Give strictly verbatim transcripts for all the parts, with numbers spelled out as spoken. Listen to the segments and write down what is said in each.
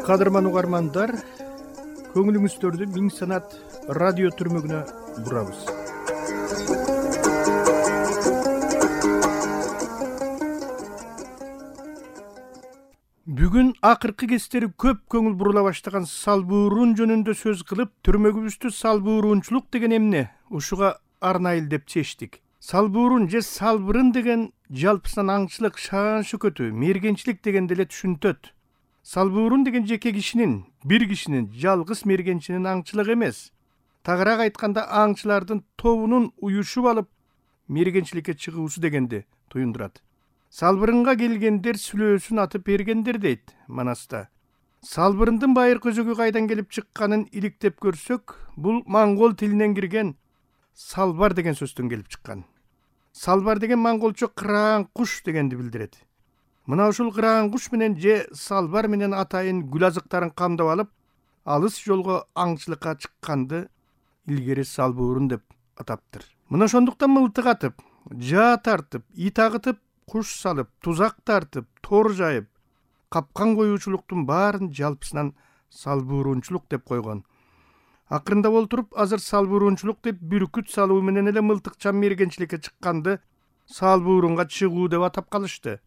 Кадырман угармандар, көңүлүңүздөрдү Миң Санат радио түрмөгүнө бурабыз. Бүгүн акыркы кездери көп көңүл бурула баштаган салбуурун жөнүндө сөз кылып, түрмөгүбүздү салбуурунчулук деген эмне ушуга арнайыл деп чечтик. Салбуурун же салбырын деген жалпысынан аңчылык, шаан шөкөтү, мергенчилик дегенди эле түшүнтөт. Салбуурун деген жеке кишинин, бир кишинин, жалгыз мергенчинин аңчылыгы эмес. Тагыраак айтканда аңчылардын тобунун уюшуп алып мергенчиликке чыгуусу дегенди туюндурат. Салбырынга келгендер сүлөөсүн атып бергендер дейт Манаста. Салбырындын байыр көзөгү кайдан келип чыкканын иликтеп көрсөк, бул моңгол тилинен кирген салбар деген сөздөн келип чыккан. Салбар деген монголчо кыраан куш дегенди билдирет. Мына ушул кыраан куш менен же салбар менен атайын гүл азыктарын камдап алып, алыс жолго аңчылыкка чыкканды илгери салбуурун деп атаптыр. Мына ошондуктан мылтык атып, жаа тартып, ит агытып, куш салып, тузак тартып, тор жайып, капкан коюучулуктун баарын жалпысынан салбуурунчулук деп койгон. Акырында олтуруп, азыр салбуурунчулук деп бүркүт салуу менен эле мылтыкчан мергенчиликке чыкканды салбуурунга чыгуу деп атап калышты.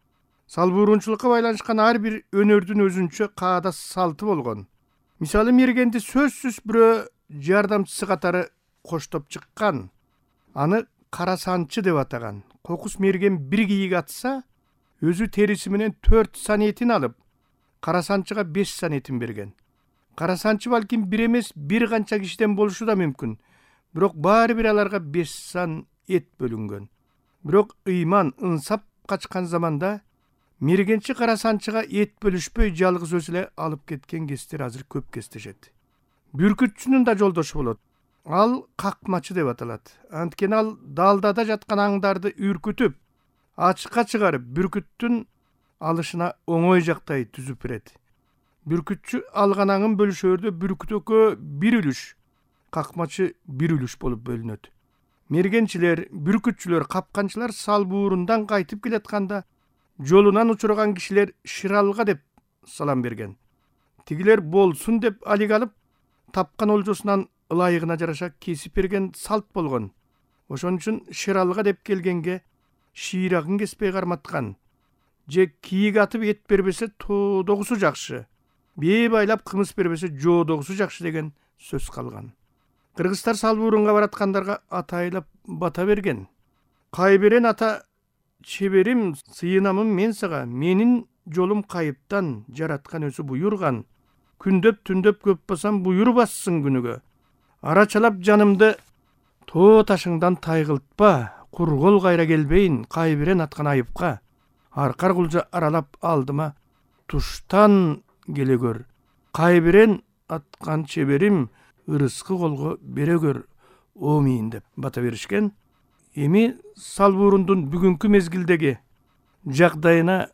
Салбуурунчулукка байланышкан ар бир өнөрдүн өзүнчө каада салты болгон. Мисалы, мергенди сөзсүз бирөө жардамчысы катары коштоп чыккан. Аны кара санчы деп атаган. Кокус мерген бир кийик атса, өзү териси менен төрт сан этин алып, кара санчыга беш сан этин берген. Кара санчы балким бир эмес, бир канча кишиден болушу да мүмкүн. Бирок баары бир аларга беш сан эт бөлүнгөн. Бирок ыйман, ынсап качкан заманда мергенчи кара санчыга эт бөлүшпөй жалгыз өзү эле алып кеткен кездер азыр көп кездешет. Бүркүтчүнүн да жолдошу болот. Ал какмачы деп аталат. Анткени ал далдада жаткан аңдарды үркүтүп, ачыкка чыгарып, бүркүттүн алышына оңой жактай түзүп берет. Бүркүтчү алган аңын бөлүшөөрдө бүркүт экөө бир үлүш, какмачы бир үлүш болуп бөлүнөт. Мергенчилер, бүркүтчүлөр, капканчылар салбуурундан кайтып келатканда жолунан учурган кишилер шыралга деп салам берген. Тигилер болсун деп алик алып, тапкан олжосунан ылайыгына жараша кесип берген салт болгон. Ошон үчүн шыралга деп келгенге шыйрагын кеспей карматкан. Же кийик атып эт бербесе тоодогусу жакшы. Бээ байлап кымыз бербесе жоодогусу жакшы деген сөз калган. Кыргыздар салбуурунга бараткандарга атайлап бата берген. Кайберен ата чеберим, сыйынамын мен сага, менин жолум кайыптан, жараткан өзү буйурган. Күндөп түндөп көп басам буйур бассын күнүгө. Арачалап жанымды тоо ташыңдан тайгылтпа, кургол кайра келбейин, кайберен аткан айыпка. Аркар кулжа аралап алдыма туштан келе көр. Кайберен аткан чеберим, ырыскы колго бере көр, омийин деп бата беришкен. Эми салбуурундун бүгүнкү мезгилдеги жагдайына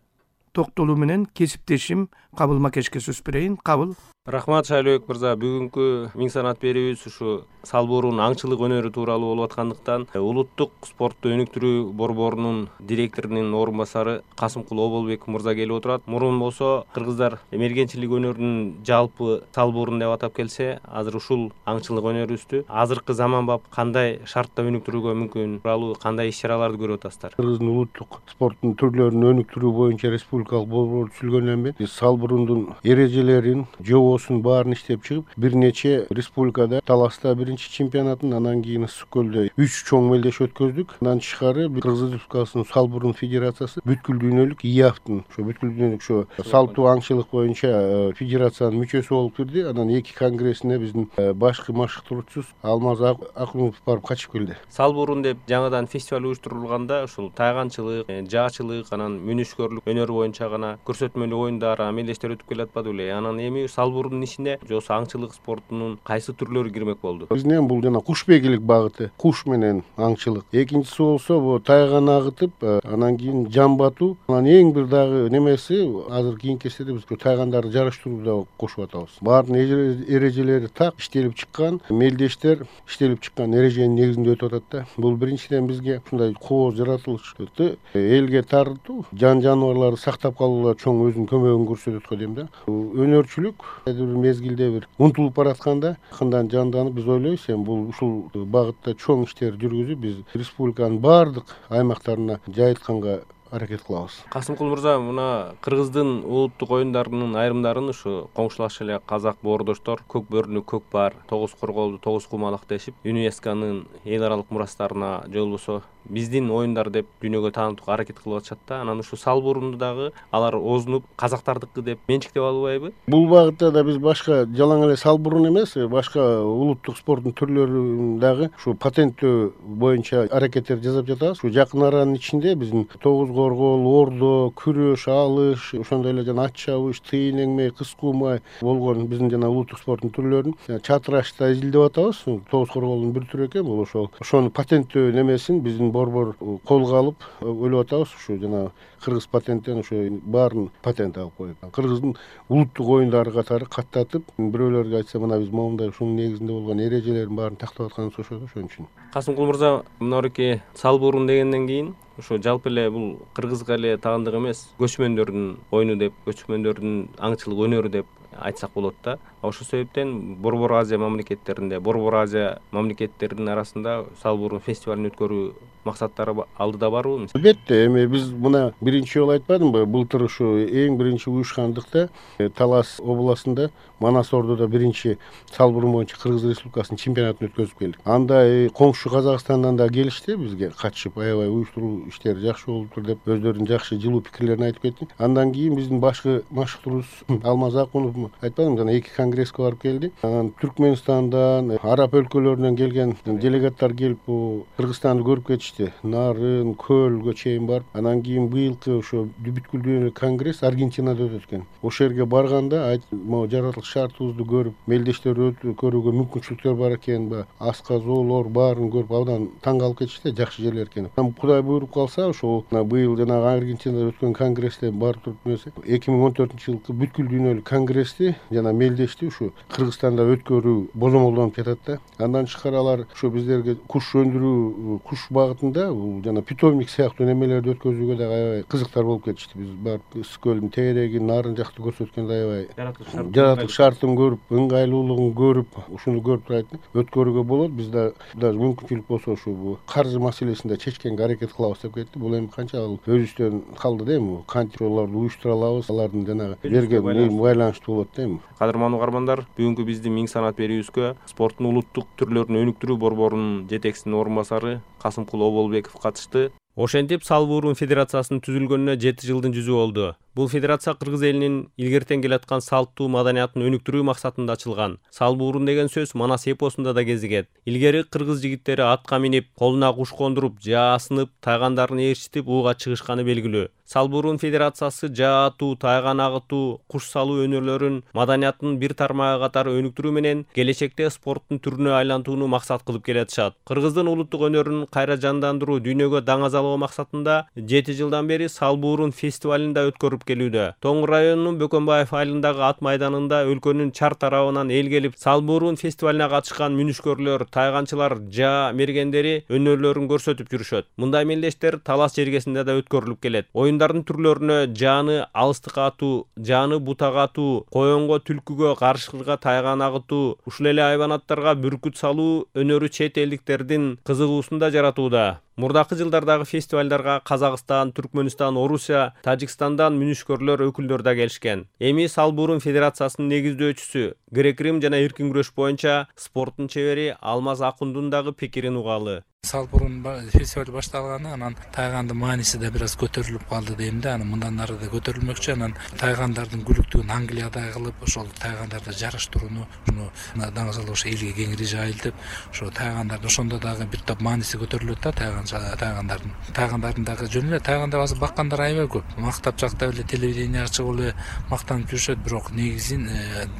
токтолуу менен кесиптешим Кабыл Макешке сөз берейин. Кабыл. Рахмат Шайлыбек мырза. Бүгүнкү Миң Санат берүүбүз ушу салбуурун аңчылык өнөрү тууралуу болуп аткандыктан улуттук спортту өнүктүрүү борборунун директорунун орун басары Касымкул Оболбек мырза келип отурат. Мурун болсо кыргыздар мергенчилик өнөрүнүн жалпы салбуурун деп атап келсе, азыр ушул аңчылык өнөрүбүздү азыркы заманбап кандай шартта өнүктүрүүгө мүмкүн тууралуу кандай иш-чараларды көрүп атасыздар? Кыргыздын улуттук спорттун түрлөрүн өнүктүрүү боюнча республикалык борбор түзүлгөндөн бери салбурундун эрежелерин, жобосун баарын иштеп чыгып, бир нече республикада Таласта биринчи чемпионатын, анан кийин Ысык көлдө үч чоң мелдеш өткөздүк. Андан тышкары Кыргыз Республикасынын салбурун федерациясы бүткүл дүйнөлүк ИАФтын, ошо бүткүл дүйнөлүк ошо салттуу аңчылык боюнча федерациянын мүчөсү болуп кирди. Анан эки конгрессине биздин башкы машыктыруучубуз Алмаз Акунов барып катышып келди. Салбурун деп жаңадан фестиваль уюштурулганда ушул тайганчылык, жаачылык, анан мүнүшкөрлүк өнөрү боюнча гана көрсөтмөлүү оюндар, мелдештер өтүп келатпады беле? Анан эми салбурун салбурундун ичине жосу аңчылык спортунун кайсы түрлөрү кирмек болду? Биздин бул жана кушбегилик багыты, куш менен аңчылык. Экинчиси болсо бул тайган агытып, анан кийин жан батуу. Анан эң бир дагы немеси азыр кийинки кездерде биз тайгандарды жарыштырууну да кошуп атабыз. Баардын эрежелери так иштелип чыккан, мелдештер иштелип чыккан эреженин негизинде өтүп атат да. Бул биринчиден бизге ушундай кооз жаратылышты элге таратуу, жан жаныбарларды сактап калууда чоң өзүнүн көмөгүн көрсөтөт го дейм да. Өнөрчүлүк бир мезгилде бир унутулуп баратканда акырындан жанданып биз ойлойбуз, эми бул ушул багытта чоң иштер жүргүзүп биз республиканын баардык аймактарына жайылтканга аракет кылабыз. Касымкул мырза, мына Кыргыздын улуттук оюндарынын айрымдарын ушу коңшулаш эле казак боордоштор көк бөрүнү көк бар, тогуз корголду тогуз кумалак дешип, ЮНЕСКОнун эл аралык мурастарына же болбосо биздин оюндар деп дүйнөгө таанытууга аракет кылып атышат да. Анан ушу салбурунду дагы алар оозунуп казактардыкы деп менчиктеп албайбы? Бул багытта да биз башка жалаң эле салбурун эмес, башка улуттук спорттун түрлөрүн дагы ушу патенттөө боюнча аракеттер жасап жатабыз. Ушу жакын аранын ичинде биздин тогуз коргол, ордо, күрөш, алыш, ошондой эле жана ат чабыш, тыйын эңмей, кыз куумай болгон биздин жана улуттук спорттун түрлөрүн чатырашта изилдеп атабыз. Тогуз корголдун бир түрү экен бул. Ошол ошону патенттөө немесин биздин борбор колго алып ойлоп атабыз. Ушу жана кыргыз патенттен ошо баарын патент алып койгон. Кыргыздын улуттук оюндары катары каттатып, бирөөлөргө айтса, мына биз моундай ушунун негизинде болгон эрежелердин баарын тактап атканыбыз ошо да, ошон үчүн. Касымкул мырза, мынабеки салбурун дегенден кийин ошо жалпы эле бул кыргызга эле таандык эмес, көчмөндөрдүн оюну деп, көчмөндөрдүн аңчылык өнөрү деп айтсак болот да. Ошол себептен Борбор Азия мамлекеттеринде, Борбор Азия мамлекеттеринин арасында салбурун фестивалын өткөрүү максаттары алдыда барбы? Албетте, эми биз мына биринчи жолу айтпадымбы, былтыр ушу эң биринчи уюшкандыкта Талас областында Манас Ордодо биринчи салбурун боюнча Кыргыз Республикасынын чемпионатын өткөзүп келдик. Анда коңшу Казакстандан да келишти бизге катышып, аябай уюштуруу иштери жакшы болуптур деп өздөрүнүн жакшы жылуу пикирлерин айтып кетти. Андан кийин биздин башкы машыктуубуз Алмаз Акунов, айтпадымбы, жана эки конгресске барып келди. Анан Түркмөнстандан, араб өлкөлөрүнөн келген делегаттар келип, Кыргызстанды көрүп кетишти. Нарын, Көлгө чейин барып, анан кийин быйылкы ошо бүткүл дүйнөлүк конгресс Аргентинада өтөт экен. Ошол жерге барганда могу жаратылыш шартыбызды көрүп, мелдештерди көрүүгө мүмкүнчүлүктөр бар экен, асказоолор баарын көрүп абдан таң калып кетишти, жакшы жерлер экен. Кудай буйруп калса, ошол быйыл жанагы Аргентинада өткөн конгрессте бар туруп эмесе, эки миң он төртүнчү жылкы бүткүл дүйнөлүк конгрессти жана мелдешти ушу Кыргызстанда өткөрүү бозомолдонуп жатат да. Андан тышкары алар ушу биздерге куш өндүрүү, куш багытында бул жана питомник сыяктуу немелерди өткөзүүгө дагы аябай кызыктар болуп кетишти. Биз барып Ысык көлдүн тегерегин, нарын жакты көрсөткөндө аябай жаратылыш шартын көрүп, ыңгайлуулугун көрүп, ушуну көрүп турайт өткөрүүгө болот. Биз да даже мүмкүнчүлүк болсо ушу бул каржы маселесин да чечкенге аракет кылабыз деп кетти. Бул эми канча ал өзүбүздөн калды да, эми кантип аларды уюштура алабыз, алардын жанагы берген байланыштуу болот да эми. Кадырман угармандар, бүгүнкү биздин миң санат берүүбүзгө спорттун улуттук түрлөрүн өнүктүрүү борборунун жетекчисинин орун басары Касымкул Оболбеков катышты. Ошентип Салбурун федерациясынын түзүлгөнүнө жети жылдын жүзү болду. Бул федерация кыргыз элинин илгертен келаткан салттуу маданиятын өнүктүрүү максатында ачылган. Салбурун деген сөз Манас эпосунда да кезигет. Илгери кыргыз жигиттери атка минип, колуна куш кондуруп, жаа асынып, тайгандарын ээрчитип ууга чыгышканы белгилүү. Салбурун федерациясы жаа атуу, тайган агытуу, куш салуу өнөрлөрүн маданиятынын бир тармагы катары өнүктүрүү менен келечекте спорттун түрүнө айлантууну максат кылып келатышат. Кыргыздын улуттук өнөрүн кайра жандандыруу, дүйнөгө даңазалоо максатында жети жылдан бери Салбурун фестивалын да өткөрүп келүүдө. Тоң районунун Бөкөнбаев айылындагы ат майданында өлкөнүн чар тарабынан эл келип, Салбурун фестивалына катышкан мүнүшкөрлөр, тайганчылар, жаа мергендери өнөрлөрүн көрсөтүп жүрүшөт. Мындай мелдештер Талас жергесинде да өткөрүлүп келет. Оюндардын түрлөрүнө жааны алыстыкка атуу, жааны бутага атуу, коёнго, түлкүгө, карышкыга тайган агытуу, ушул эле айбанаттарга бүркүт салуу өнөрү чет элдиктердин кызыгуусун да жаратууда. Мурдакы жылдардагы фестивалдарга Казакстан, Түркмөнстан, Орусия, Тажикстандан мүнүшкөрлөр өкүлдөр да келишкен. Эми Салбурун федерациясынын негиздөөчүсү, грек-рим жана эркин күрөш боюнча спорттун чебери Алмаз Акундун дагы пикирин угалы. Салбурун фестиваль башталганы анан тайгандын мааниси да бир аз көтөрүлүп калды дейм да. Анан мындан ары да көтөрүлмөкчү. Анан тайгандардын күлүктүгүн Англиядай кылып, ошол тайгандарды жарыштырууну уну даңгы салып ошо элге кеңири жайылтып, ошо тайгандарды ошондо дагы бир топ мааниси көтөрүлөт да тайган тайгандардын. Тайгандардын дагы жөн эле тайганда азыр баккандар аябай көп. Мактап жактап эле телевидение чыгып эле мактанып жүрүшөт, бирок негизин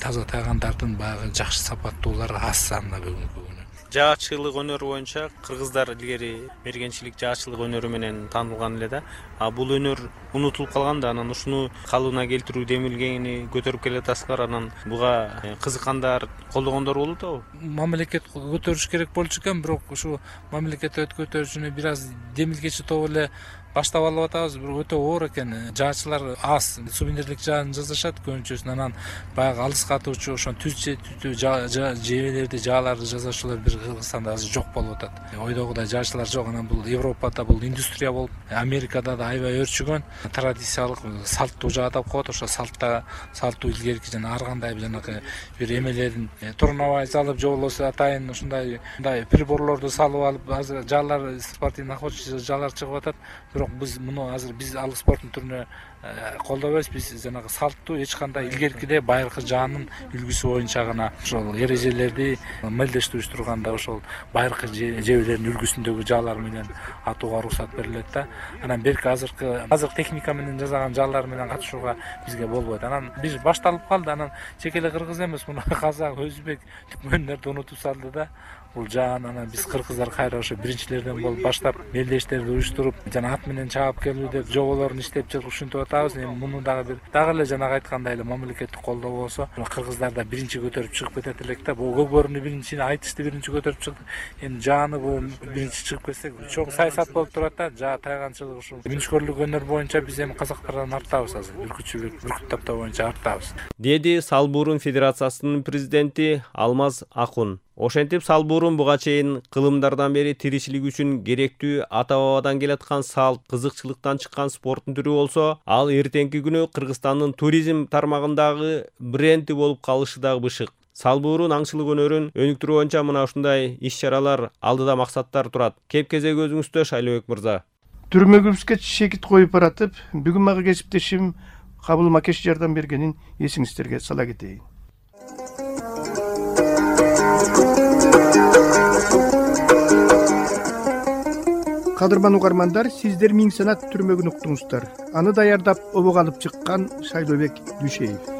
таза тайгандардын баягы жакшы сапаттуулары аз санда бүгүнкү күнү. Жаачылык өнөрү боюнча кыргыздар илгери мергенчилик жаачылык өнөрү менен таанылган эле да. А бул өнөр унутулуп калган да, анан ушуну калыбына келтирүү демилгени көтөрүп келатасыздар. Анан буга кызыккандар, колдогондор болуп атабы? Мамлекет көтөрүш керек болчу экен, бирок ушу мамлекет көтөрүүчүнү бир аз демилгечи топ эле баштап алып атабыз. Бирок өтө оор экен. Жаачылар аз сувенирлик жааны жасашат көбүнчөсүн. Анан баягы алыска атуучу ошо түз жебелерди, жааларды жасаучулар бир Кыргызстанда азыр жок болуп атат. Ойдогудай жаачылар жок. Анан бул Европада бул индустрия болуп, Америкада да аябай өрчүгөн традициялык салттуу жаа деп коет. Ошо салтта салттуу илгерки жана ар кандай жанагы бир эмелерин турнавай салып, же болбосо атайын ушундай мындай приборлорду салып алып, азыр жаалар спортивный охотничий жаалар чыгып атат. Бирок биз муну азыр биз ал спорттун түрүнө колдобойбуз. Биз жанагы салттуу эч кандай илгеркиде байыркы жаанын үлгүсү боюнча гана ошол эрежелерди мелдештириш турганда ошол байыркы жебелердин үлгүсүндөгү жаалар менен атууга уруксат берилет да. Анан берки азыркы азыркы техника менен жасаган жаалар менен катышууга бизге болбойт. Анан биз башталып калды. Анан чек эле кыргыз эмес, муну казак, өзбек, түркмөндөрдү унутуп салды да. Бул жаан анан биз кыргыздар кайра ошо биринчилерден болуп баштап мелдештерди уюштуруп, жана ат менен чаап келүү деп жоболорун иштеп жүрүп ушинтип атабыз. Эми муну дагы бир дагы эле жанагы айткандай эле мамлекеттик колдоо болсо, кыргыздар да биринчи көтөрүп чыгып кетет элек да. Бул көкбөрүнү биринчи, айтышты биринчи көтөрүп чыкты. Эми жааны бул биринчи чыгып кетсек, чоң саясат болуп турат да. Жаа тайганчылык ушул мүнүшкөрлүк өнөр боюнча биз эми казактардан арттабыз азыр. Бүркүтчүлүк, бүркүт таптоо боюнча арттабыз. Деди Салбурун Федерациясынын президенти Алмаз Акун. Ошентип Салбурун буга чейин кылымдардан бери тиричилик үчүн керектүү ата-бабадан келаткан салт, кызыкчылыктан чыккан спорттун түрү болсо, ал эртеңки күнү Кыргызстандын туризм тармагындагы бренди болуп калышы дагы бышык. Салбурун аңчылык өнөрүн өнүктүрүү боюнча мына ушундай иш-чаралар алдыда максаттар турат. Кеп-кезек өзүңүздө, Шайлообек мырза. Түрмөгүбүзгө шекит коюп баратып, бүгүн мага кесиптешим Кабыл Макеш жардам бергенин эсиңиздерге сала кетейин. Кадырман угармандар, сиздер Миң Санат түрмөгүн уктуңуздар. Аны даярдап обого алып чыккан Шайлообек Дүйшеев.